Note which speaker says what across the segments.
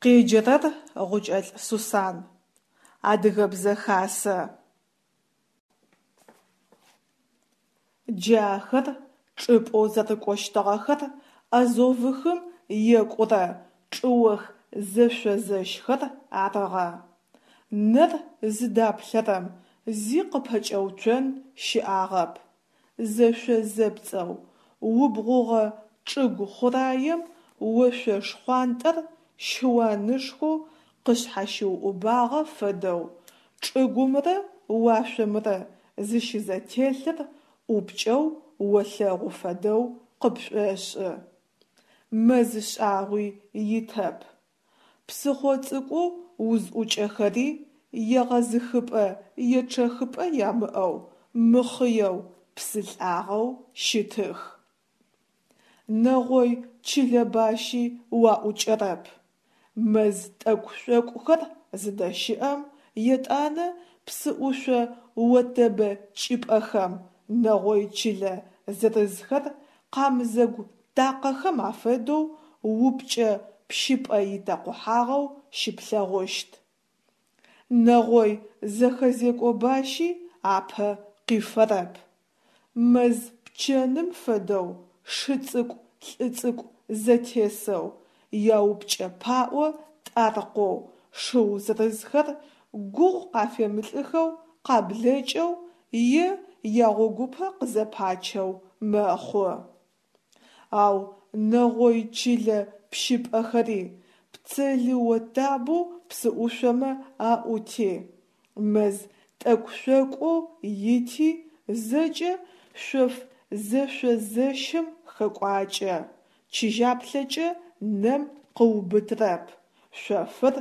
Speaker 1: Къеджэрэр Гъукӏэлӏ Сусан. Адыгэбзэ хасэ. Джы ахэр чӏыпӏэу зэрыкӏощтыгъэхэр Азовыхым екӏурэ чӏыох зэшъозэщхэр арыгъэ. Нэр зыдаплъэрэм зи къыпэкӏэуцон щыӏагъэп, зэшъо-зэпцӏэу убгъугъэ чӏыгу хъураем ошъо шхъуантӏэр щыуанышхоу къышъхьащыуӏубагъэ фэдэу чӏыгумрэ уашъомрэ зыщызэтелъыр ӏупкӏэу олъэгъу фэдэу къыпшӏошӏы. Мэз шӏагъуи итэп. Псыхъо цӏыкӏоу узӏукӏэхэри егъэзыхыпӏэ-ечъэхыпӏэ ямыӏэу, мыхъыеу, псы лӏагъэу щытых. Нэгъой чылэ бащи уаӏукӏэрэп. Мэз тӏэкӏу-шъокӏухэр зыдэщыӏэм, етӏанэ псыӏушъо отэбэ кӏыпӏэхэм нэгъой чылэ зырызхэр къамзэгу такъэхэм афэдэу упкӏэ пщыпӏэ итэкъухьагъэу щыплъэгъущт. Нэгъой зэхэзекӏо бащи апэ къифэрэп. Мэз пчэным фэдэу шы цӏыкӏу лӏы цӏыкӏу зэтесэу, яупкӏэ паӏо тӏаркъоу шыу зырызхэр гугъу къафемылӏыхэу къаблэкӏэу е ягъогупэ къызэпачэу мэхъу. Ау нэгъой чылэ пщыпӏэхэри, пцэлы отабэу псыӏушъомэ аӏути, мэз тӏэкӏу-шъокӏоу ити зэкӏэ шъоф зэшъозэщым хэкӏуакӏэ, чыжьаплъэкӏэ нэм къыубытрэп, шъофыр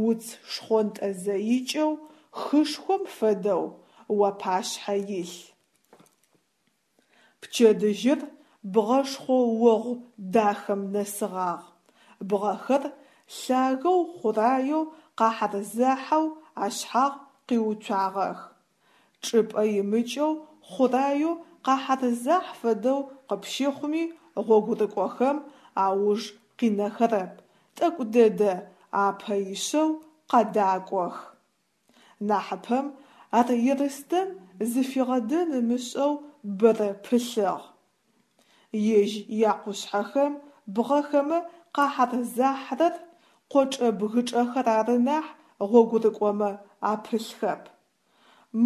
Speaker 1: уц шхъонтӏэ зэикӏэу хышхом фэдэу уапашъхьэ илъ. Пчэдыжьыр бгъэшхъо огъу дахэм нэсыгъагъ. Бгъэхэр лъагэу хъураеу къахьэрзахьэу ашъхьагъ къиуцуагъэх. Чӏыпӏэ имыкӏэу хъураеу къахьэрзахь фэдэу къыпщыхъуми гъогурыкӏохэм ауж къинэхэрэп, тӏэкӏу дэдэ апэ ишъэу къадакӏох. Нахьыпэм ар Ерстэм зыфигъэдэн ымышӏэу бэрэ пылъыгъ. Ежь якъушъхьэхэм бгъэхэмэ къахьэрзахьрэр къочӏэ-бгычӏэхэр ары нахь гъогурыкӏомэ апылъхэп.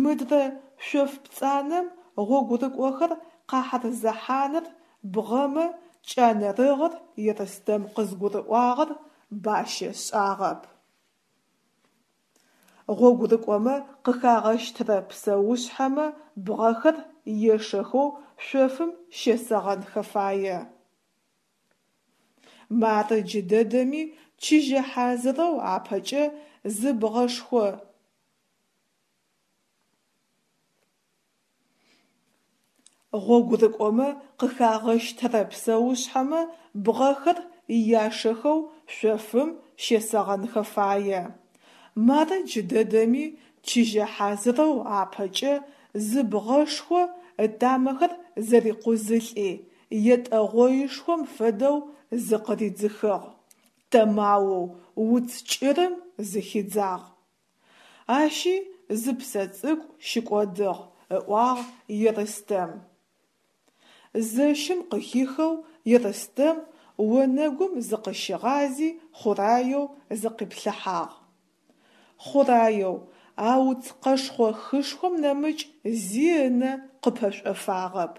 Speaker 1: Мыдрэ шъоф пцӏанэм гъогурыкӏохэр къахьэрзэхьаныр бгъэмэ кӏанэрыгъыр Ерстэм къызгурыӏуагъэр бащэ шӏагъэп. Гъогурыкӏомэ къыхагъэщтырэ псэушъхьэмэ бгъэхэр ешэхэу шъофым щесэгъэнхэ фае. Мары джыдэдэми чыжьэ хьазырэу апэкӏэ зы бгъэшхо Гъогурыкӏомэ къыхагъэщтырэ псэушъхьэмэ бгъэхэр яшэхэу шъофым щесэгъэнхэ фае. Мары джыдэдэми чыжьэ хьазырэу апэкӏэ зы бгъэшхо ытамэхэр зэрикъузылӏи, етӏэ гъоишхом фэдэу зыкъыридзыхыгъ, тэмаоу уц кӏырым зыхидзагъ. Ащи зы псэ цӏыкӏу щыкӏодыгъ, ыӏуагъ Ерстэм. Зэщым къыхихэу Ерстэм онэгум зыкъыщигъази хъураеу зыкъиплъыхьагъ. Хъураеу, а уц къэшхъо хышхом нэмыкӏ зи ынэ къыпэшӏофагъэп.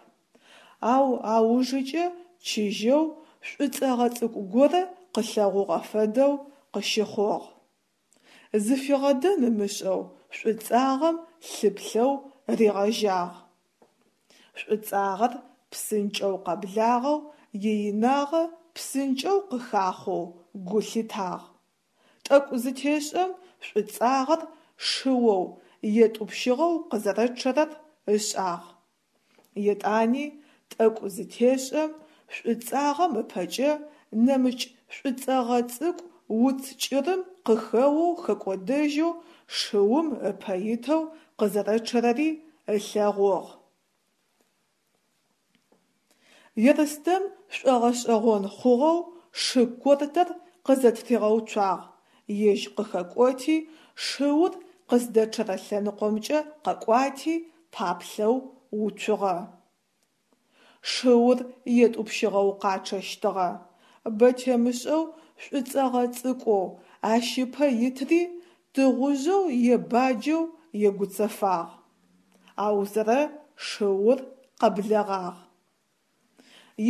Speaker 1: Ау аужыкӏэ чыжьэу шӏуцӏэгъэ цӏыкӏу горэ къылъэгъугъэ фэдэу къыщыхъугъ. Зыфигъэдэн ымышӏэу шӏуцӏагъэм лъыплъэу ригъэжьагъ. Шӏуцӏагъэр псынкӏэу къэблагъэу, иинагъэ псынкӏэу къыхахъоу гу лъитагъ. Тӏэкӏу зытешӏэм шӏуцӏагъэр шыоу етӏупщыгъэу къызэрэчъэрэр ышӏагъ. Етӏани тӏэкӏу зытешӏэм шӏуцӏагъэм ыпэкӏэ нэмыкӏ шӏуцӏэгъэ цӏыкӏу уц кӏырым къыхэоу хэкӏодэжьэу шыум ыпэ итэу къызэрэчъэрэри ылъэгъугъ. Ерстэм шӏогъэшӏэгъон хъугъэу шы кортэр къызэтыригъэуцуагъ, ежь къыхэкӏоти, шыур къыздэчъэрэ лъэныкъомкӏэ къэкӏуати, паплъэу уцугъэ. Шыур етӏупщыгъэу къачъэщтыгъэ. Бэ темышӏэу шӏуцӏэгъэ цӏыкӏоу ащ ыпэ итри тыгъужъэу е баджэу егуцэфагъ. Аузэрэ шыур къэблэгъагъ.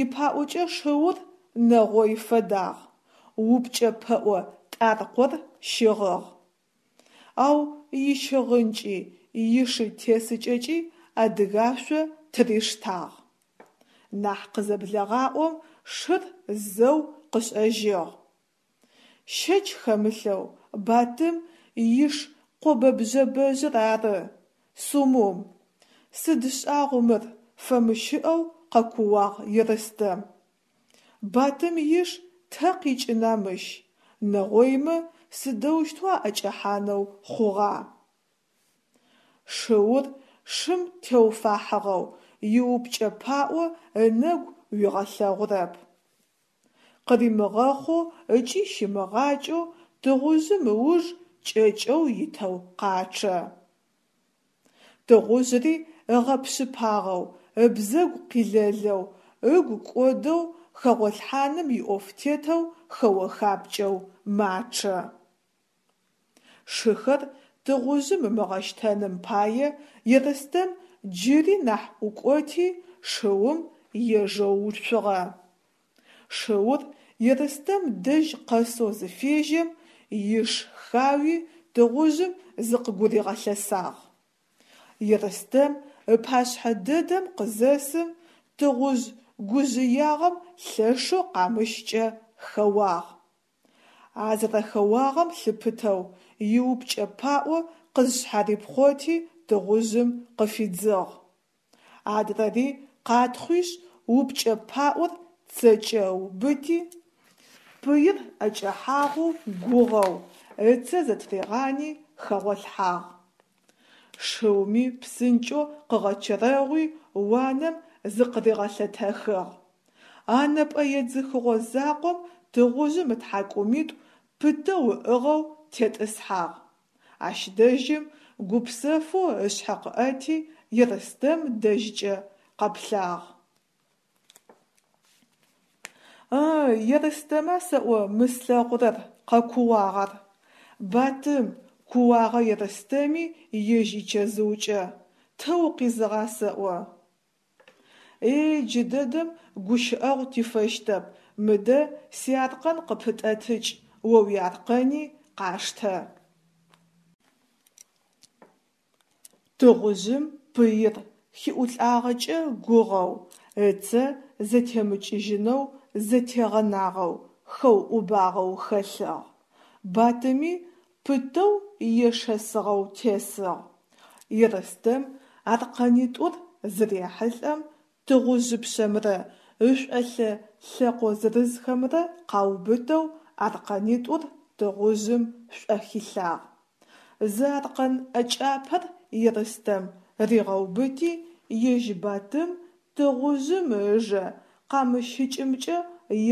Speaker 1: Ипаӏокӏэ шыур нэгъой фэдагъ, упкӏэ пэӏо тӏаркъор щыгъыгъ. Ау ищыгъынкӏи ишы тесыкӏэкӏи адыгашъо тыриштагъ. Нахь къызэблэгъаӏом шыр зэу къышӏэжьыгъ. Щэч хэмылъэу Батым иш къобэ-бжъэбэжъыр ары, Сумум! Сыд шӏагъу мыр, фэмыщыӏэу къэкууагъ Ерстэм. Батым иш тэ къикӏына мыщ, нэгъоймэ сыдэущтэу аӏэкӏэхьанэу хъугъа? Шыур шым теуфахьыгъэу иупкӏэ паӏо ынэгу уигъэлъэгъурэп. Къыримыгъэхъоу ыкӏи щимыгъакӏэу тыгъужъым ыуж кӏэкӏэу итэу къачъэ. Тыгъужъри ыгъэпшъыпагъэу, ыбзэгу къилэлэу, ыгу кӏодэу хэгъолъхьаным иӏоф тетэу хэо-хапкӏэу мачъэ. Шыхэр тыгъужъым ымыгъэщтэным пае Ерстэм джыри нахь ӏукӏоти, шыум ежэу уцугъэ. Шыур Ерстэм дэжь къэсэу зыфежьэм, иш хауи тыгъужъым зыкъыгуригъэлъэсагъ. Ерстэм ыпашъхьэ дэдэм къызэсым, тыгъужъ гужъыягъэм лъэшэу къамыщкӏэ хэуагъ. А зэрэхэуагъэм лъыпытэу иупкӏэ паӏо къызшъхьарипхъоти тыгъужъым къыфидзыгъ. Адрэри къатхъуишъ упкӏэ паӏор цэкӏэ ыубыти, пыир ӏэкӏэхьагъэу гугъэу, ыцэ зэтыригъани хэгъолъхьагъ. Шыуми псынкӏэу къыгъэчэрэгъуи уанэм зыкъыригъэлъэтэхыгъ. А нэпӏэ едзыхыгъо закъом тыгъужъым ытхьакӏумитӏу пытэу ыӏыгъэу тетӏысхьагъ. Ащ дэжьым гупсэфэу ышъхьэ къыӏэти Ерстэм дэжькӏэ къэплъагъ. Ы, Ерстэма сэӏо мы слъэгъурэр, къэкууагъ ар. Батым, кууагъэ Ерстэми ежь ичэзыукӏэ, тэ укъизыгъа сэӏо? Эй, джыдэдэм гущыӏэгъу тифэщтэп, мыдэ сиаркъэн къыпытӏэтыкӏ, о уиаркъэни къаштэ. Тыгъужъым пыир хиӏулӏагъэкӏэ гугъэу, ыцэ зэтемыкӏыжьынэу зэтегъэнагъэу, хэуӏубагъэу хэлъыгъ. Батыми пытэу ешэсыгъэу тесыгъ. Ерстэм аркъэнитӏур зырехьылӏэм тыгъужъыпшъэмрэ ышӏолъэ лъэкъо зырызхэмрэ къаубытэу аркъэнитӏур тыгъужъым шӏохилъагъ. Зы аркъэн ӏэкӏапэр Ерстэм ригъэубыти, ежь Батым тыгъужъым ыжэ къамыщыкӏымкӏэ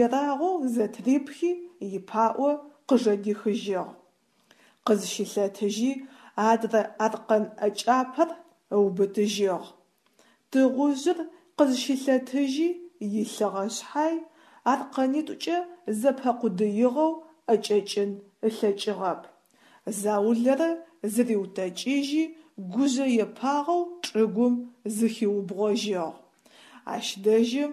Speaker 1: ерагъэу зэтырипхи ипаӏо къыжэдихыжьыгъ. Къызщылъэтыжьи адрэ аркъэн ӏэкӏапэр ыубытыжьыгъ. Тыгъужъыр къызщылъэтыжьи илъыгъэ шъхьай, аркъэнитӏукӏэ зэпэкъудыигъэу ӏэкӏэкӏын ылъэкӏыгъэп. Заулэрэ зыриутэкӏыжьи гужъэепагъэу чӏыгум зыхиубгъожьыгъ. Ащ дэжьым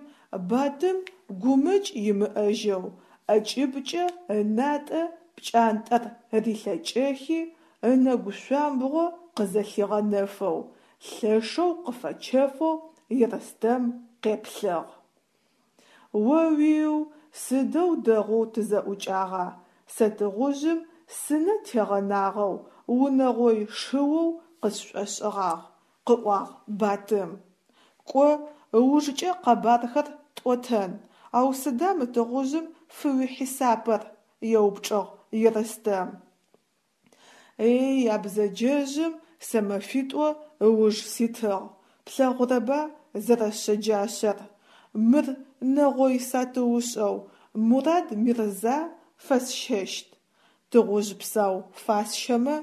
Speaker 1: Батым гумэкӏ имыӏэжьэу ӏэкӏыбкӏэ ынатӏэ пкӏантӏэр рилъэкӏэхи, ынэгу шъуамбгъо къызэлъигъэнэфэу, лъэшэу къыфэчэфэу Ерстэм къеплъыгъ. О-уиу, сыдэу дэгъоу тызэӏукӏагъа, сэ тыгъужъым сынэ тегъэнагъэу, унэгъой шыоу къысшӏошӏыгъагъ, къыӏуагъ Батым. Кӏо, ыужкӏэ къэбархэр тӏотэн, ау сыда мы тыгъужъым фыуихьисапыр? еупчӏыгъ Ерстэм. Эй, а бзэджэжъым сэ мэфитӏо ыуж ситыгъ, плъэгъурэба зэрэшъэджашъэр. Мыр нэгъой сатыушӏэу Мурад Мирза фэсщэщт. Тыгъужъ псау фасщэмэ,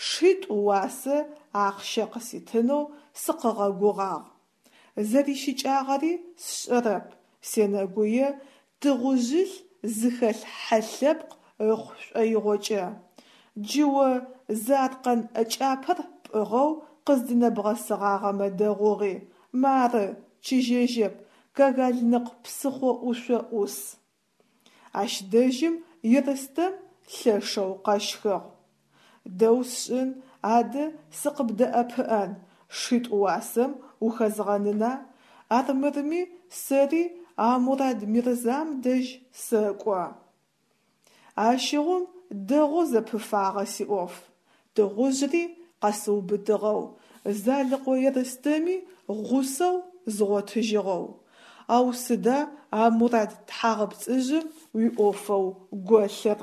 Speaker 1: шитӏу уасэ ахъщэ къыситынэу сыкъыгъэгугъагъ. Зэрищыкӏагъэри сшӏэрэп, сенэгуе тыгъужъылъ зыхэлъ хьэ лъэпкъ ыхъу шӏоигъокӏэ. Джы о зы аркъэн ӏэкӏапэр пӏыгъэу къыздынэбгъэсыгъагъэмэ дэгъугъи, мары, чыжьэжьэп, Кагальныкъ псыхъо ӏушъо ӏус. Ащ дэжьым Ерстэм лъэшэу къэщхыгъ. Дэу сшӏын, адэ сыкъыбдэӏэпыӏэн, шитӏу уасэм ухэзгъэнына, армырми сэри а Мурад-Мирзам дэжь сэкӏо. Ащыгъум дэгъоу зэпыфагъэ сиӏоф. Тыгъужъри къэсыубытыгъэу, Залыкъо Ерстэми гъусэу згъотыжьыгъэу. Ау сыда а Мурад тхьагъэпцӏыжъым уиӏофэу голъыр?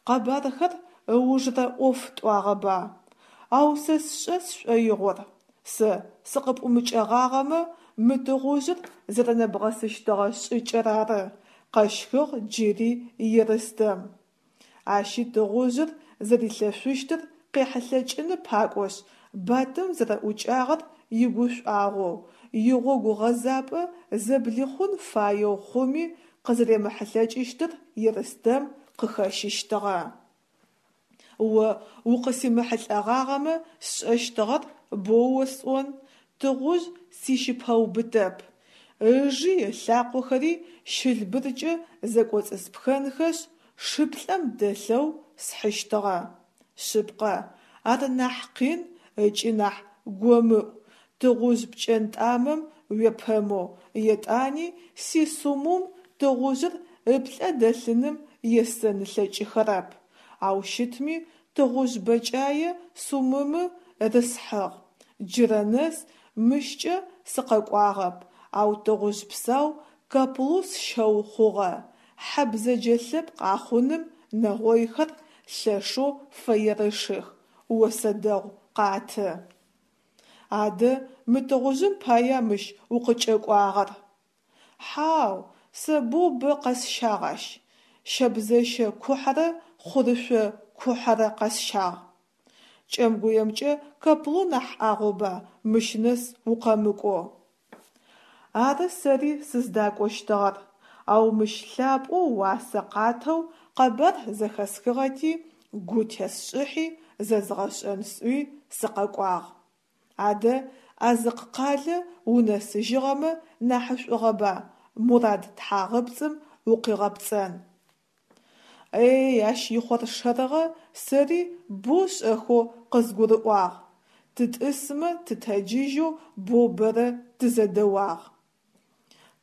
Speaker 1: Къэбархэр ыужрэ ӏоф тӏуагъэба? Ау сэ сшӏэ сшӏоигъор, сэ сыкъыпӏумыкӏэгъагъэмэ, мы тыгъужъыр зэрэнэбгъэсыщтыгъэ шӏыкӏэр ары, къэщхыгъ джыри Ерстэм. Ащи тыгъужъыр зэрилъэшъущтыр къехьылъэкӏыны пакӏошъ, Батым зэрэӏукӏагъэр игушӏуагъоу, игъогу гъэзапӏэ зэблихъун фаеу хъуми къызэремыхьылъэкӏыщтыр Ерстэм къыхэщыщтыгъэ. О укъысимыхьылӏэгъагъэмэ сшӏэщтыгъэр боу осӏон, тыгъужъ сищыпэубытэп. Ыжи ылъакъохэри щылбыркӏэ зэкӏоцӏыспхэнхэшъ, шыплӏэм дэлъэу схьыщтыгъэ. Шъыпкъэ, ар нахь къин ыкӏи нахь гомыӏу, тыгъужъ пкӏэнтӏамэм уепэмэу, етӏани си Сумум тыгъужъыр ыплӏэ дэлъыным есэн ылъэкӏыхэрэп. Ау щытми тыгъужъ бэкӏае Сумымы рысхьыгъ. Джырэ нэс мыщкӏэ сыкъэкӏуагъэп, ау тыгъужъ псау Каплу сщэу хъугъэ. Хьэ бзэджэ лъэпкъ ахъуным нэгъойхэр лъэшэу фэерышых, осэ дэгъу къаты. Адэ мы тыгъужъым пая мыщ укъыкӏэкӏуагъэр? Хьау, сэ боу бэ къэсщагъ ащ. Щэбзэщэ кухьэрэ хъурышъо кухьэрэ къэсщагъ. Кӏэмгуемкӏэ Каплу нахь ӏагъоба мыщ нэс укъэмыкӏоу. Ары сэри сыздакӏощтыгъэр, ау мыщ лъапӏэу уасэ къатэу къэбар зэхэсхыгъэти, гу тесшӏыхьи зэзгъэшӏэн сӏуи сыкъэкӏуагъ. Адэ Азыкъ къалэ унэсыжьыгъэмэ нахьышӏугъэба Мурад тхьагъэпцӏым укъигъэпцӏэн. Эй, ащ ихъоршэрыгъэ сэри боу шӏэхэу къызгурыӏуагъ, тытӏысмэ тытэджыжьэу боу бэрэ тызэдэуагъ.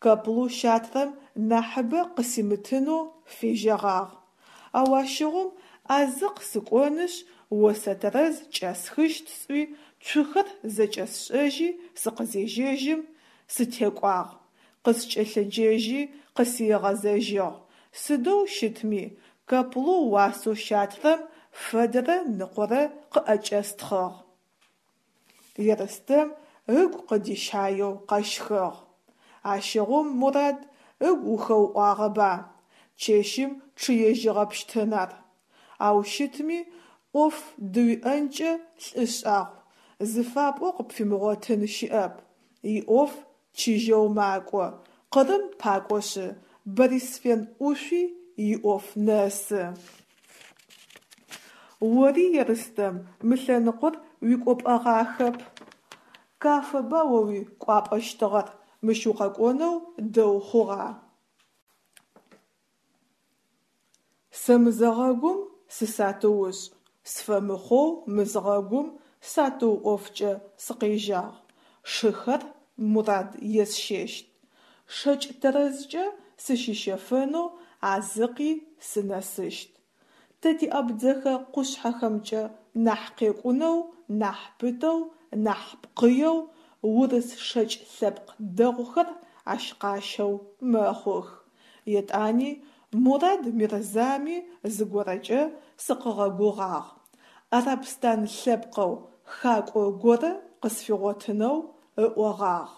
Speaker 1: Каплу щатрэм нахьыбэ къысимытынэу фежьэгъагъ. Ау ащыгъум Азыкъ сыкӏонышъ осэ тэрэз кӏэсхыщт сӏуи цухэр зэкӏэсшӏэжьи сыкъызежьэжьым, сытекӏуагъ. Къыскӏэлъыджэжьи къысигъэзэжьыгъ. Сыдэу щытми, Каплу уасэу щатрэм фэдэрэ ныкъорэ къыӏэкӏэстхъыгъ. Ерстэм ыгу къыдищаеу къэщхыгъ. Ащыгъум, Мурад, ыгу ухэуӏуагъэба? Чэщым чъыежьыгъэпщтын ар. Ау щытми, ӏоф дыуиӏэнкӏэ лӏы шӏагъу, зыфапӏоу къыпфимыгъотын щыӏэп. Иӏоф чыжьэу макӏо, Къырым пакӏошъы, Борисфен ӏушъуи иӏоф нэсы. Ори, Ерстэм, мы лъэныкъор уикӏопӏэгъахэп. Кафэба о уикӏуапӏэщтыгъэр, мыщ укъэкӏонэу дэу хъугъа. Сэ мызэгъэгум сысатыушӏ, сфэмыхъоу мызгъэгум сатыу ӏофкӏэ сыкъежьагъ. Шыхэр Мурад есщэщт. Шэкӏ тэрэзкӏэ сыщыщэфэнэу Азыкъи сынэсыщт. Тэ тиабдзэхэ къушъхьэхэмкӏэ нахь къекӏунэу, нахь пытэу, нахь пкъыеу урыс шэкӏ лъэпкъ дэгъухэр ащ къащэу мэхъух. Етӏани Мурад Мирзами зыгорэкӏэ сыкъыгъэгугъагъ, арабстан лъэпкъэу хакӏо горэ къысфигъотынэу ыӏогъагъ.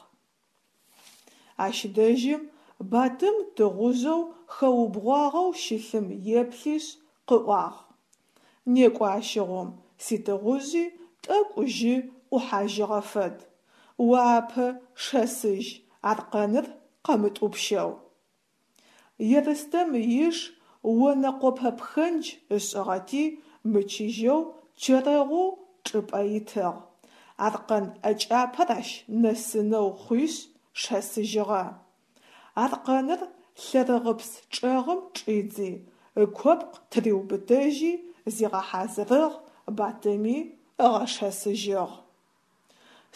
Speaker 1: Ащ дэжьым Батым тыгъужъэу хэубгъуагъэу щылъым еплъишъ къыӏуагъ: Некӏо ащыгъум, ситыгъужъи тӏэкӏу жьы ӏухьажьыгъэ фэд, о апэ шэсыжь аркъэныр къэмытӏупщэу. Ерстэм иш онэ къопэ пхэндж ышӏыгъэти мычыжьэу чэрэгъоу чӏыпӏэ итыгъ, аркъэн ӏэкӏапэр ащ нэсынэу хъуишъ шэсыжьыгъэ. Аркъэныр лъэрыгъыпс чӏэгъым чӏидзи, ыкопкъ тыриубытэжьи зигъэхьазырыгъ, Батыми ыгъэшэсыжьыгъ.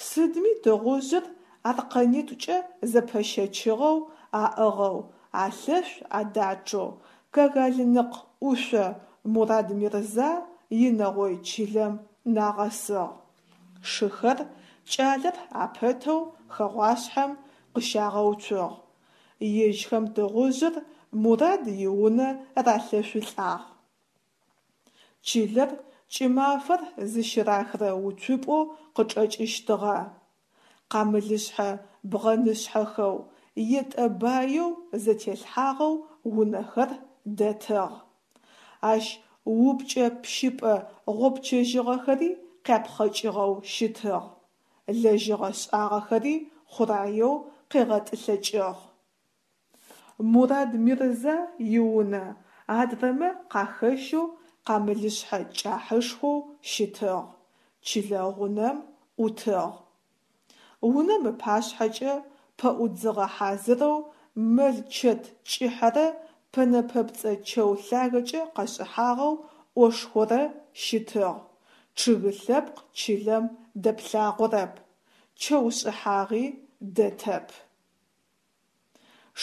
Speaker 1: Сыдми тыгъужъыр аркъэнитӏукӏэ зэпэщэчыгъэу аӏыгъэу, алъэшъу адачъэу Кагалныкъ ӏушъо Мурад-Мирза инэгъой чылэм нагъэсыгъ. Шыхэр кӏалэр апэтэу хэгъуашъхьэм къыщагъэуцугъ. Ежьхэм тыгъужъыр Мурад иунэ ралъэшъулӏагъ. Чылэр кӏымафэр зыщырахырэ уцупӏэу къычӏэкӏыщтыгъэ. Къамылышъхьэ бгъэнышъхьэхэу, етӏэ баеу зэтелъхьагъэу унэхэр дэтыгъ. Ащ упкӏэ пщыпӏэ гъопчэжьыгъэхэри къяпхъэкӏыгъэу щытыгъ, лэжьыгъэ шӏагъэхэри хъураеу къегъэтӏылъэкӏыгъ. Мурад-Мирза иунэ адрэмэ къахэщэу къамылышъхьэ кӏахьышхоу щытыгъ, чылэ гъунэм ӏутыгъ. Унэм ыпашъхьэкӏэ пэӏудзыгъэ хьазырэу мэл-чэт кӏыхьэрэ пэнэ пэпцӏэ чэу лъагэкӏэ къэшӏыхьагъэу ӏошхорэ щытыгъ, чъыг лъэпкъ чылэм дэплъагъорэп, чэу шӏыхьагъи дэтэп.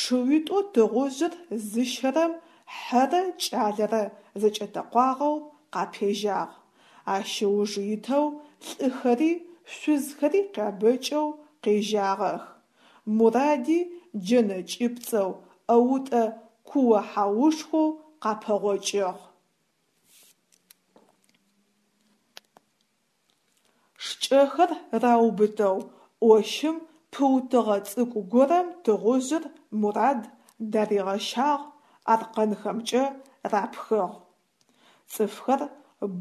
Speaker 1: Шыуитӏоу тыгъужъыр зыщэрэм хьэрэ кӏалэрэ зэкӏэтэкъуагъэу къапежьагъ, ащ ыуж итэу лӏыхэри шъузхэри къябэкӏэу къежьагъэх. Муради джэнэ кӏыпцӏэу, ӏэутӏэ куо-хьаушхоу къапэгъокӏыгъ. Шкӏэхэр раубытэу ӏощым пыутыгъэ цӏыкӏу горэм тыгъужъыр Мурад даригъэщагъ, аркъэнхэмкӏэ рапхыгъ. Цӏыфхэр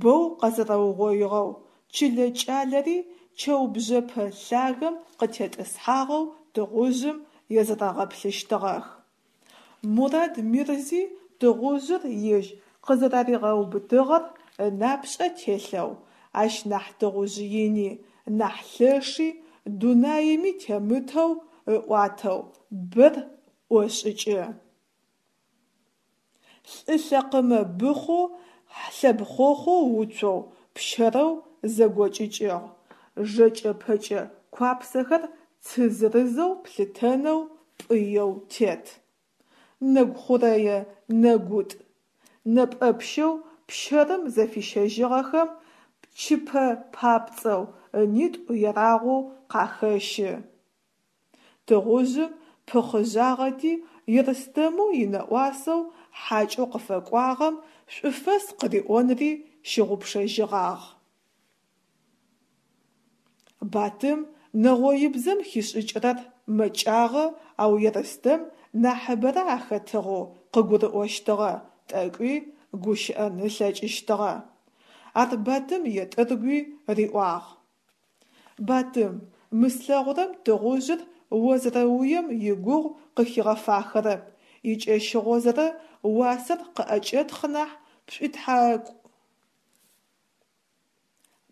Speaker 1: бэу къэзэрэугъоигъэу, чылэ кӏалэри чэу бжъэпэ лъагэм къытетӏысхьагъэу тыгъужъым езэрэгъэплъыщтыгъэх. Мурад-Мирзи тыгъужъыр ежь къызэраригъэубытыгъэр ынапшӏэ телъэу, ащ нахь тыгъужъ ини, нахь лъэши дунаими темытэу ыӏуатэу бэр ӏошӏыкӏы. Лӏы лъэкъымэ быхъоу лъэбхъохъоу уцоу, пщэрэу зэгокӏыкӏыгъ, жэкӏэ-пэкӏэ куапсэхэр цы зырызэу плъытэнэу пӏыеу тет. Нэгу хъурэе нэгутӏ, нэпӏэпщэу пщэрым зэфищэжьыгъэхэм пчыпэ папцӏэу ынитӏу ерагъоу къахэщы. Тыгъужъым пыхъыжъагъэти, Ерстэмэу инэӏуасэу хьакӏэу къыфэкӏуагъэм шӏуфэс къыриӏонри щыгъупшэжьыгъагъ. Батым нэгъоибзэм хишӏыкӏырэр мэкӏагъэ, ау Ерстэм нахьыбэрэ ахэтыгъэу къыгурыӏощтыгъэ, тӏэкӏуи гущыӏэн ылъэкӏыщтыгъэ. Ар Батым етӏыргуи риӏуагъ. Батым, мы слъэгъурэм тыгъужъыр о зэрэуем игугъу къыхигъэфахэрэп, икӏэщыгъозэрэ уасэр къыӏэкӏэтхъ нахь пшӏуитхьакӏу.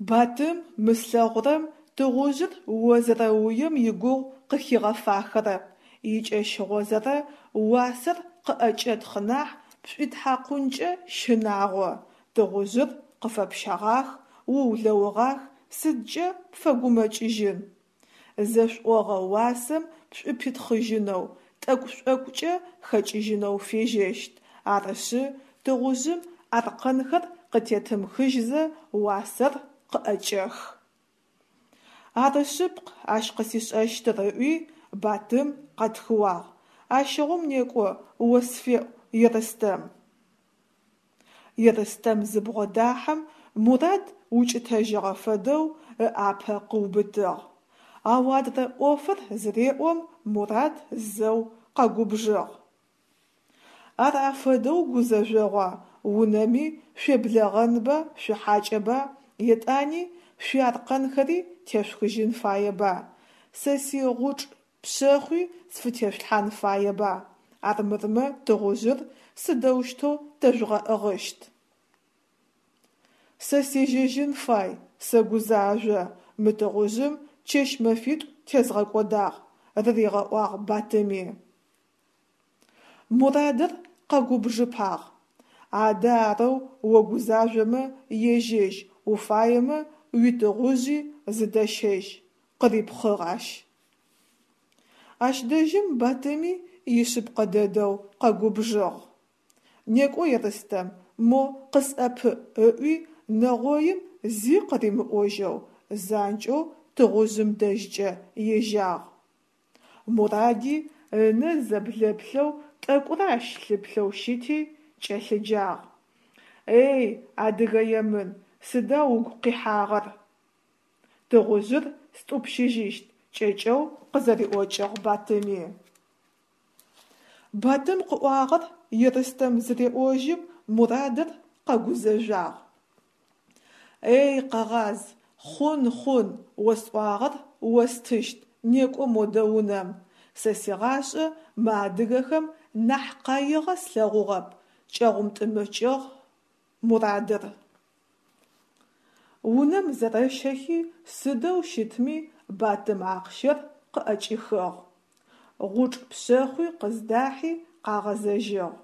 Speaker 1: Батым, мы слъэгъурэм тыгъужъыр о зэрэуем игугъу къыхигъэфахэрэп, икӏэщыгъозэрэ уасэр къыӏэкӏэтхъ нахь пшӏуитхьакъункӏэ щынагъо, тыгъужъыр къыфэпщэгъах, уулэугъах, сыдкӏэ пфэгумэкӏыжьын? Зэшъуӏогъэ уасэм пшӏупитхъыжьынэу, тӏэкӏу-шӏокӏукӏэ хэкӏыжьынэу фежьэщт, арышъы, тыгъужъым аркъэнхэр къытетымыхыжьзэ уасэр къыӏэкӏэх. Ары шъыпкъ ащ къысишӏэщтыр, ыӏуи, Батым къэтхыуагъ. Ащыгъум некӏо, о сфеӏу Ерстэм. Ерстэм зыбгъодахьэм, Мурад укӏытэжьыгъэ фэдэу ыӏапэ къыубытыгъ. Ау адрэ ӏофыр зыреӏом, Мурад зэу къэгубжыгъ. Ар афэдэу гузэжъогъуа, унэми шъуеблэгъэнба, шъухьакӏэба, етӏани шъуиаркъэнхэри тешъухыжьын фаеба, сэ сигъучӏ пшъэхъуи сфытешъулъхьан фаеба, армырмэ тыгъужъыр сыдэущтэу тэжъугъэӏыгъыщт? Сэ сежьэжьын фай, сэгузажъо, мы тыгъужъым чэщ-мэфитӏу тезгъэкӏодагъ, – рыригъэӏуагъ Батыми. Мурадыр къэгубжыпагъ: «Адэ арэу огузажъомэ ежьэжь, уфаемэ уитыгъужъи зыдэщэжь», – къырипхъыгъ ащ. Ащ дэжьым Батыми ишъыпкъэ дэдэу къэгубжыгъ. «Некӏо, Ерстэм, мо къысӏэпыӏ», – ыӏуи нэгъоим зи къыримыӏожьэу занкӏэу тыгъужъым дэжькӏэ ежьагъ. Муради ынэ зэблэплъэу тӏэкӏурэ ащ лъыплъэу щыти, кӏэлъыджагъ: «Эй, адыгэ емын, сыда угу къихьагъэр?» «Тыгъужъыр стӏупщыжьыщт», – кӏэкӏэу къызэриӏокӏыгъ Батыми. Батым къыӏуагъэр Ерстэм зыреӏожьым, Мурадыр къэгузэжъуагъ. «Эй, къэгъаз, хъун, хъун, осӏуагъэр остыщт, некӏо модэ унэм, сэ сигъашӏэ мы адыгэхэм нахь къаигъэ слъэгъугъэп», – кӏэгъумтӏымыкӏыгъ Мурадыр. Унэм зэрэщэхи, сыдэу щытми Батым ахъщэр къыӏэкӏихыгъ. Гъучӏ пшъэхъуи къыздахьи къагъэзэжьыгъ.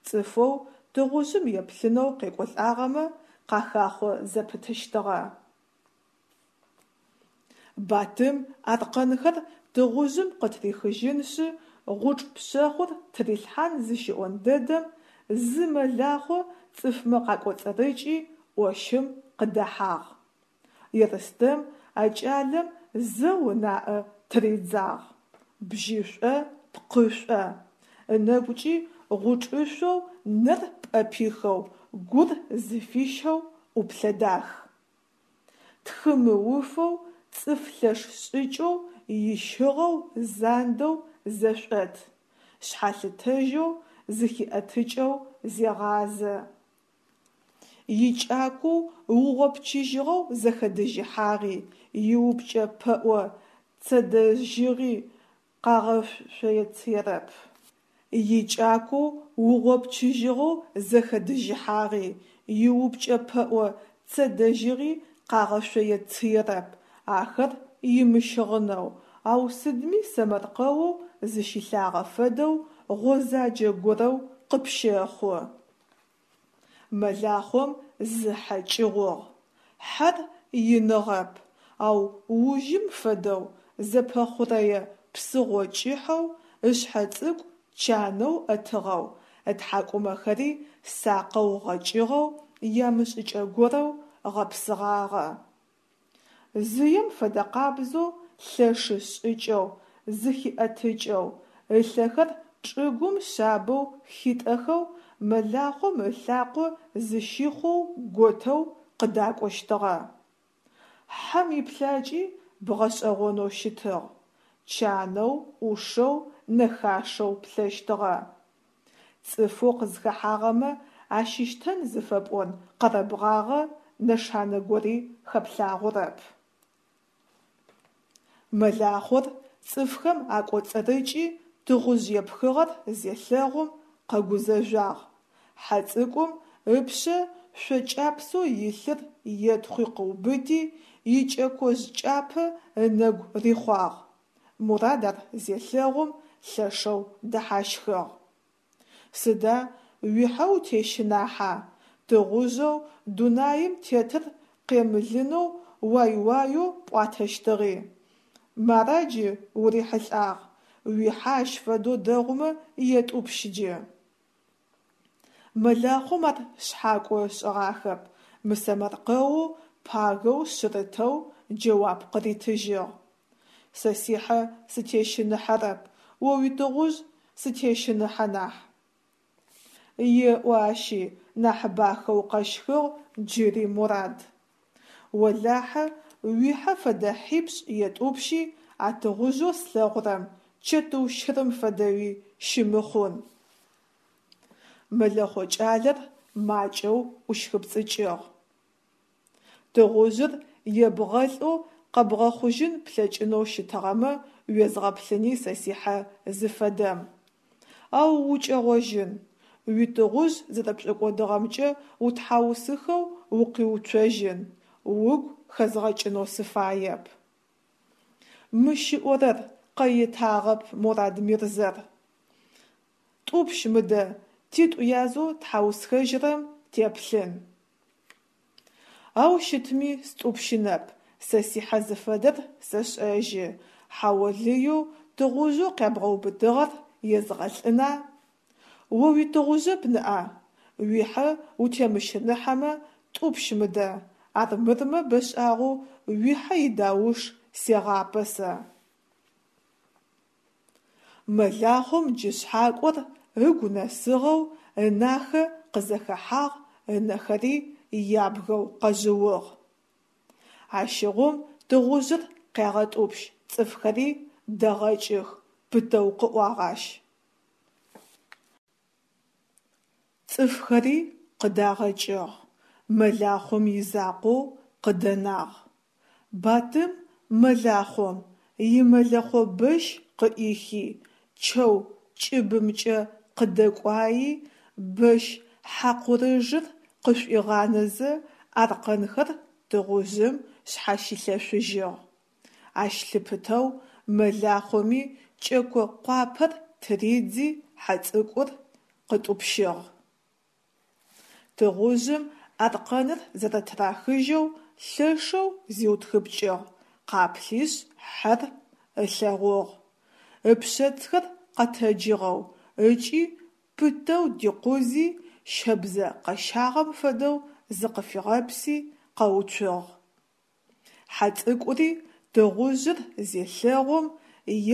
Speaker 1: Цӏыфэу тыгъужъым еплъынэу къекӏолӏагъэмэ къахахъо зэпытыщтыгъэ. Батым аркъэнхэр тыгъужъым къытрихыжьынышъы гъучӏ пшъэхъур тырилъхьан зыщиӏон дэдэм, зы мэлахъо цӏыфмэ къакӏоцӏырыкӏи ӏощым къыдэхьагъ. Ерстэм а кӏалэм зэу ынаӏэ тыридзагъ. Бжьышӏо, пкъышӏо. Ынэгукӏи гъучӏышъоу нэр пӏэпихэу, гур зыфищэу ӏуплъэ дах. Тхы мыуфэу, цӏыф лъэш шӏыкӏэу, ищыгъэу, зандэу зэшӏот, шъхьалъытэжьэу, зыхиӏэтыкӏэу зегъазэ. Икӏакоу угъопчыжьыгъэу зэхэдыжьыхьагъи, иупкӏэ пэӏо цэдэжьыгъи къагъэшъоецыерэп. Икӏакоу угъопчыжьыгъэу зэхэдыжьыхьагъи, иупкӏэ пэӏо цэдэжьыгъи къагъэшъоецыерэп, ахэр имыщыгъынэу, ау сыдми сэмэркъэоу зыщилъагъэ фэдэу гъозаджэ горэу къыпщэхъу. Мэлахъом зы хьэ кӏыгъугъ. Хьэр иныгъэп, ау ужым фэдэу зэпэхъурэе псыгъо кӏыхьэу, ышъхьэ цӏыкӏу чанэу ӏэтыгъэу, ытхьакӏумэхэри сакъэу гъэкӏыгъэу, ямышӏыкӏэ горэу гъэпсыгъагъэ. Зыем фэдэкъабзэу лъэшы шӏыкӏэу, зыхиӏэтыкӏэу, ылъэхэр чӏыгум шъабэу хитӏэхэу, мэлахъом ылъакъо зыщихъоу готэу къыдакӏощтыгъэ. Хьэм иплъакӏи бгъэшӏэгъонэу щытыгъ: чанэу, ӏушэу, нэхашэу плъэщтыгъэ. Цӏыфэу къызхэхьагъэмэ ащыщтэн зыфэпӏон къэрэбгъагъэ нэшанэ гори хэплъагъорэп. Мэлахъор цӏыфхэм акӏоцӏырыкӏи тыгъужъ епхыгъэр зелъэгъум къэгузэжъуагъ. Хьэ цӏыкӏум ыпшъэ шъо кӏапсэу илъыр етхъуи къыубыти, икӏэкожъ кӏапэ ынэгу рихъуагъ. Мурат ар зелъэгъум лъэшэу дэхьащхыгъ. Сыда уихьэ утещынахьа, тыгъужъэу дунаим тетыр къемылынэу уай-уаеу пӏуатэщтыгъи. Мара джы урихьылӏагъ, уихьэ ащ фэдэу дэгъумэ етӏупщ джы. Мэлахъом ар шъхьакӏо ышӏыгъахэп, мысэмэркъэоу, пагэу, шъырытэу джэуап къыритыжьыгъ: «Сэ сихьэ сытещыныхьэрэп, о уитыгъужъ сытещыныхьэ нахь». Еӏо ащи, нахь бахэу къэщхыгъ джыри Мурат. Олахьэ уихьэ фэдэ хьипшӏ етӏупщи а тыгъужъэу слъэгъурэм. чэтыу щырым фэдэуи щымыхъун. Мэлэхъо кӏалэр макӏэу ӏущхыпцӏыкӏыгъ. Тыгъужъыр ебгъэлӏэу къэбгъэхъужьын плъэкӏынэу щытыгъэмэ уезгъэплъыни сэ сихьэ зыфэдэм. Ау укӏэгъожьын, уитыгъужъ зэрэпшӏокӏодыгъэмкӏэ утхьаусыхэу укъиуцожьын, угу хэзгъэкӏынэу сыфаеп. Мыщ ыӏорэр, къэетагъэп Мурад-мирзэр. Тӏупщ мыдэ, титӏу язэу тхьаусхэжьырэм теплъын. Ау щытми стӏупщынэп, сэ сихьэ зыфэдэр сэшӏэжьы, хьаолыеу тыгъужъэу къябгъэубытыгъэр езгъэлӏына? О уитыгъужъэп ныӏа? Уихьэ утемыщыныхьэмэ, тӏупщ мыдэ, армырмэ бэшӏагъэу уихьэ идауш сегъапэ сэ. Мэлахъом джы шъхьакӏор ыгу нэсыгъэу ынахэ къызэхэхьагъ, ынэхэри ябгэу къэжъыугъ. Ащыгъум тыгъужъыр къягъэтӏупщ, цӏыфхэри дэгъэкӏых, пытэу къыӏуагъ ащ. Цӏыфхэри къыдагъэкӏыгъ, мэлахъом изакъоу къыдэнагъ. Батым мэлахъом имэлэхъо бэщ къыӏихи, чэу кӏыбымкӏэ къыдэкӏуайи, бэщ хьакъурыжыр къышӏуигъанэзэ аркъэнхэр тыгъужъым шъхьащилъэшъужьыгъ. Ащ лъыпытэу мэлахъоми кӏэко къуапэр тыридзи хьэ цӏыкӏур къытӏупщыгъ. Тыгъужъым аркъэныр зэрэтырахыжьэу лъэшэу зиутхыпкӏыгъ, къаплъишъ хьэр ылъэгъугъ. Ыпшъэцхэр къэтэджыгъэу ыкӏи пытэу дикъузи, щэбзэ къэщагъэм фэдэу зыкъыфигъэпси къэуцугъ. Хьэ цӏыкӏури тыгъужъыр зелъэгъум,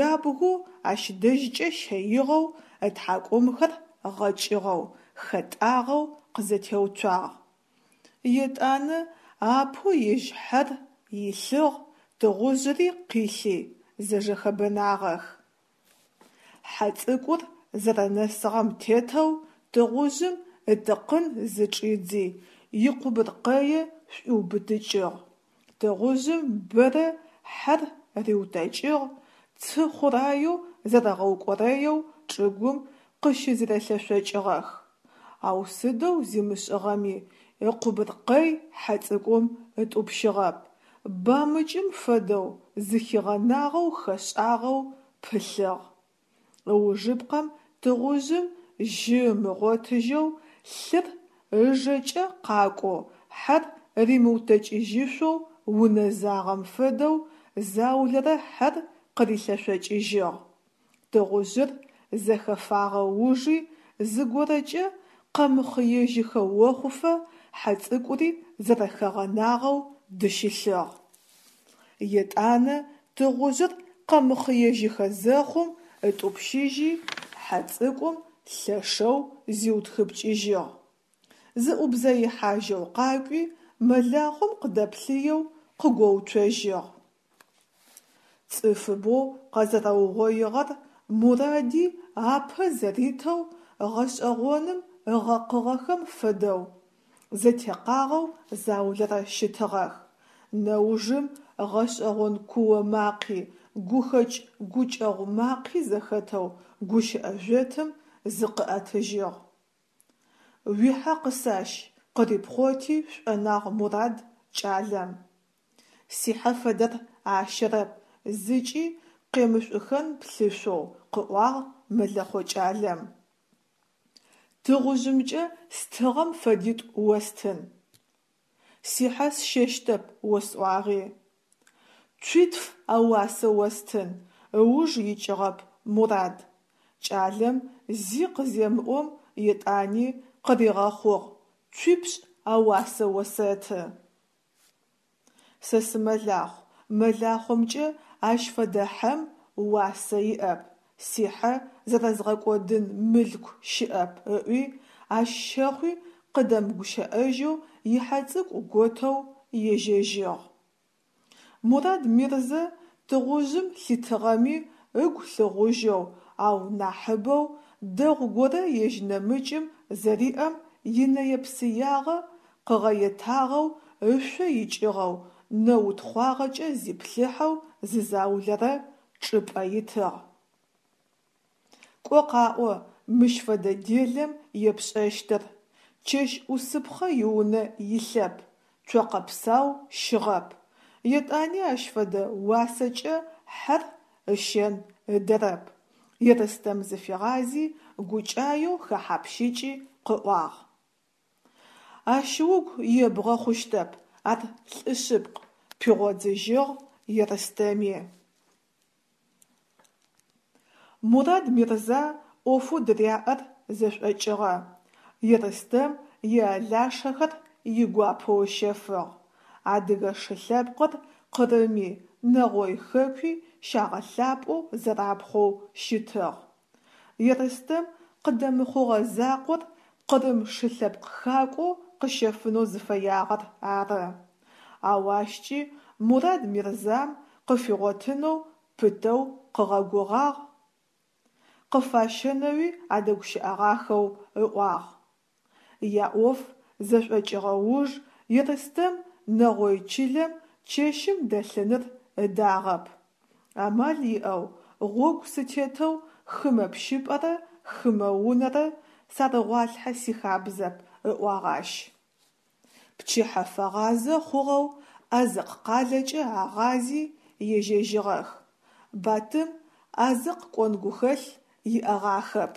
Speaker 1: ябгэу ащ дэжькӏэ щэигъэу, ытхьакӏумхэр гъэкӏыгъэу, хэтӏагъэу къызэтеуцуагъ. Етӏанэ апэу ежь хьэр илъыгъ, тыгъужъыри къилъи, зэжэхэбэнагъэх. Хьэ цӏыкӏур зэрэнэсыгъэм тетэу тыгъужъым ытыкъын зычӏидзи, икъубыркъэе шӏуиубытыкӏыгъ. Тыгъужъым бэрэ хьэр риутэкӏыгъ, цы хъураеу зэрэгъэукӏорэеу чӏыгум къыщызэрелъэшъокӏыгъэх. Ау сыдэу зимышӏыгъэми, ыкъубыркъэй хьэ цӏыкӏум ытӏупщыгъэп, бамыкӏым фэдэу зыхигъэнагъэу хэшӏагъэу пылъыгъ. Ыужыпкъэм тыгъужъым жьы ымыгъотыжьэу, лъыр ыжэкӏэ къакӏоу, хьэр римыутэкӏыжьышъоу унэзагъэм фэдэу заулэрэ хьэр къырилъэшъокӏыжьыгъ. Тыгъужъыр зэхэфагъэ ужи зыгорэкӏэ къэмыхъыежьыхэ охъуфэ хьэ цӏыкӏури зэрэхэгъэнагъэу дыщылъыгъ. Етӏанэ тыгъужъыр къэмыхъыежьыхэ зэхъум ытӏупщыжьи, хьэ цӏыкӏум лъэшэу зиутхыпкӏыжьыгъ. Зыӏубзэихьажьэу къакӏуи, мэлахъом къыдэплъыеу къыгоуцожьыгъ. Цӏыфыбэу къэзэрэугъоигъэр Муради апэ зэритэу гъэшӏэгъоным ыгъэкъыгъэхэм фэдэу, зэтекъагъэу заулэрэ щытыгъэх. Нэужым гъэшӏэгъон куо макъи, гухэкӏ гукӏэгъу макъи зэхэтэу гущыӏэ жъотым зыкъыӏэтыжьыгъ. Уихьэ къысащ, къырипхъоти шӏонагъ Мурад кӏалэм. Сихьэ фэдэр ащэрэп, зыкӏи къемышӏухэн плъышъоу, къыӏуагъ мэлэхъо кӏалэм. Тыгъужъымкӏэ стыгъэм фэдитӏу остын. Сихьэ сщэщтэп осӏуагъи. Цуитф ауасэ остын, ыуж икӏыгъэп Мурад. Кӏалэм зи къыземыӏом, етӏани къыригъэхъугъ: Цуипшӏ ауасэ осэты. Сэ сымэлахъу, мэлахъомкӏэ ащ фэдэ хьэм уасэ иӏэп, сихьэ зэрэзгъэкӏодын мылъку щыӏэп, ыӏуи, ащ щэхъуи къыдэмыгущыӏэжьэу ихьэ цӏыкӏу готэу ежьэжьыгъ. Мурад Мирзэ тыгъужъым лъитыгъэми ыгу лъыгъужьэу, ау нахьыбэу дэгъу горэ ежь нэмыкӏым зэриӏэм инэе-псыягъэ къыгъэетагъэу ышъо икӏыгъэу, нэ утхъуагъэкӏэ зиплъыхьэу зы заулэрэ чӏыпӏэ итыгъ. Кӏо къаӏо мыщ фэдэ делэм епшӏэщтыр, чэщ ӏусыпхъэ иунэ илъэп, цокъэ псау щыгъэп, етӏани ащ фэдэ уасэкӏэ хьэр ыщэн ыдэрэп, Ерстэм зыфигъази, гукӏаеу хэхьапщыкӏи къыӏуагъ. Ащ угу ебгъэ хъущтэп, ар лӏы шъыпкъ, пигъодзыжьыгъ Ерстэми. Мурад-Мирза ӏофэу дыряӏэр зэшӏокӏыгъэ, Ерстэм иалашэхэр игуапэу ыщэфыгъ. Адыгэ шы лъэпкъыр Къырыми, Нэгъой хэкуи щагъэлъапӏэу зэрапхъоу щытыгъ. Ерстэм къыдэмыхъугъэ закъор къырым шы лъэпкъ хакӏоу къыщэфынэу зыфэягъэр ары. Ау ащкӏи Мурад-Мирзам къыфигъотынэу пытэу къыгъэгугъагъ, къыфащэнэуи адэгущыӏэгъахэу ыӏуагъ. Яӏоф зэшӏокӏыгъэ уж Ерстэм нэгъой чылэм чэщым дэлъыныр ыдагъэп. Амал иӏэу гъогу сытетэу хымэ пщыпӏэрэ хымэ унэрэ сарыгъуалъхьэ сихабзэп, ыӏуагъ ащ. Пчыхьэ фэгъазэ хъугъэу Азыкъ къалэкӏэ агъази ежьэжьыгъэх. Батым Азыкъ кӏон гухэлъ иӏэгъахэп.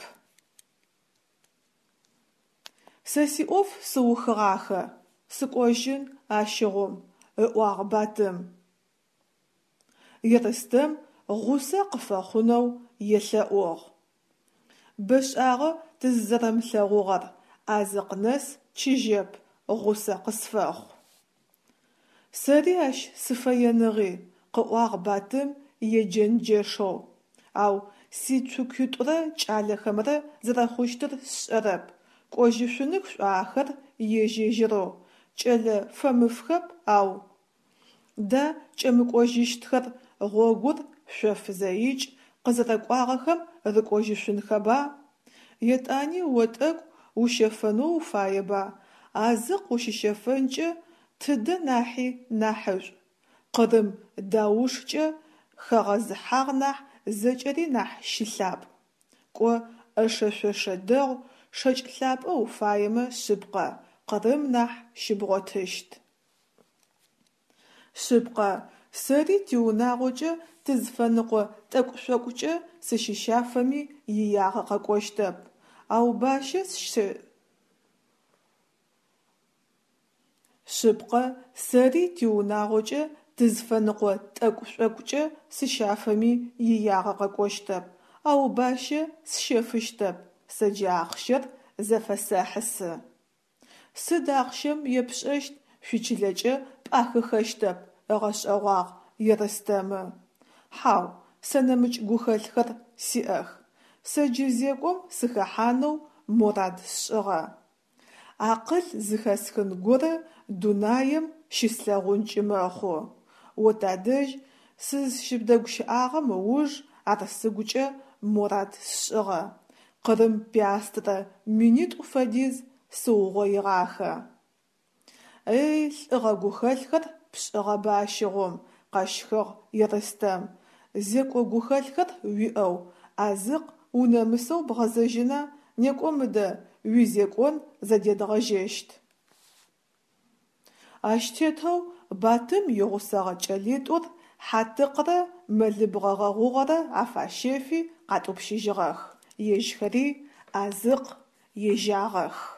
Speaker 1: Сэ сиӏоф сыухыгъахэ, сыкӏожьын ащыгъум, ыӏуагъ Батым. Ерстэм гъусэ къыфэхъунэу елъэӏугъ. Бэшӏагъэ тызызэрэмылъэгъугъэр, Азыкъ нэс чыжьэп, гъусэ къысфэхъу. Сэри ащ сыфэеныгъи, къыӏуагъ Батым еджэнджэшэу, ау сицукуитӏурэ кӏалэхэмрэ зэрэхъущтыр сшӏэрэп, кӏожьышъуных шӏуа ахэр ежь-ежьырэу, кӏэлэ фэмыфхэп, ау. Да кӏэмыкӏожьыщтхэр гъогур шъоф зэикӏ къызэрэкӏуагъэхэм рыкӏожьышъунхэба? Етӏани о тӏэкӏу ущэфэнэу уфаеба, Азыкъ ущыщэфэнкӏэ тыдэ нахьи нахьышӏу. Къырым даушкӏэ хэгъэзыхьагъ нахь зэкӏэри нахь щылъапӏ. Кӏо, ӏэшэ-шъошэ дэгъу, шэкӏ лъапӏэ уфаемэ шъыпкъэ, Къырым нахь щыбгъотыщт. Шъыпкъэ, сэри тиунагъокӏэ тызфэныкъо тӏэкӏу-шъокӏукӏэ сыщыщафэми иягъэ къэкӏощтэп, ау бащэ сщэ Шъыпкъэ, сэри тиунагъокӏэ тызфэныкъо тӏэкӏу-шъокӏукӏэ сыщафэми иягъэ къэкӏощтэп, ау бащэ сщэфыщтэп, сэ джы ахъщэр зэфэсэхьысы. Сыд ахъщэм епшӏэщт, шъуичылэкӏэ пӏахыхэщтэп, ыгъэшӏэгъуагъ Ерстэмы. Хьау, сэ нэмыкӏ гухэлъхэр сиӏэх. Сэ джы зекӏом сыхэхьанэу морад сшӏыгъэ. Акъыл зыхэсхын горэ дунаем щыслъэгъункӏи мэхъу. О тадэжь сызщыбдэгущыӏагъэм ыуж ар сыгукӏэ морад сшӏыгъэ. Къырым пиастрэ минитӏу фэдиз сыугъоигъахэ. Эй, лӏыгъэ гухэлъхэр пшӏыгъэба ащыгъум, къэщхыгъ Ерстэм. Зекӏо гухэлъхэр уиӏэу Азыкъ унэмысэу бгъэзэжьына, некӏо мыдэ, уизекӏон зэдедгъэжьэщт. Ащ тетэу Батым игъусэгъэ кӏэлитӏур хьатыкърэ мэлыбгъэ гъэгъугъэрэ афащэфи къатӏупщыжьыгъэх, ежьхэри Азыкъ ежьагъэх.